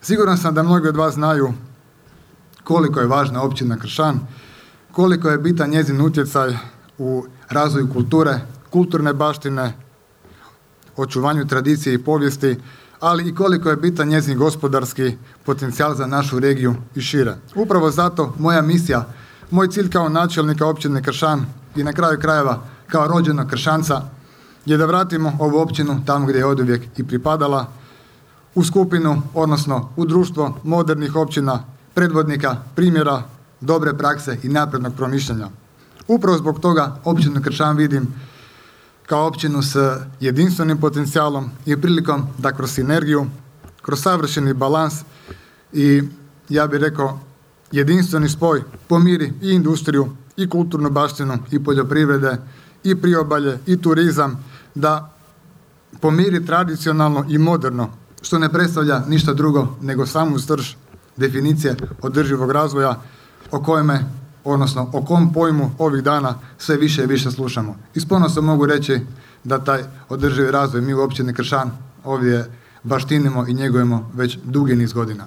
Siguran sam da mnogi od vas znaju koliko je važna općina Kršan, koliko je bitan njezin utjecaj u razvoju kulture, kulturne baštine, očuvanju tradicije i povijesti, ali i koliko je bitan njezin gospodarski potencijal za našu regiju i šire. Upravo zato moja misija, moj cilj kao načelnika općine Kršan i na kraju krajeva kao rođenog Kršanca je da vratimo ovu općinu tamo gdje je oduvijek i pripadala, u skupinu, odnosno u društvo modernih općina, predvodnika, primjera, dobre prakse i naprednog promišljanja. Upravo zbog toga općinu Kršan vidim kao općinu s jedinstvenim potencijalom i prilikom da kroz sinergiju, kroz savršeni balans i ja bih rekao jedinstveni spoj pomiri i industriju i kulturnu baštinu i poljoprivrede i priobalje i turizam, da pomiri tradicionalno i moderno, što ne predstavlja ništa drugo nego samu srž definicije održivog razvoja o kom pojmu ovih dana sve više i više slušamo. I s ponosom mogu reći da taj održivi razvoj mi u općini Kršan ovdje baštinimo i njegujemo već dugi niz godina.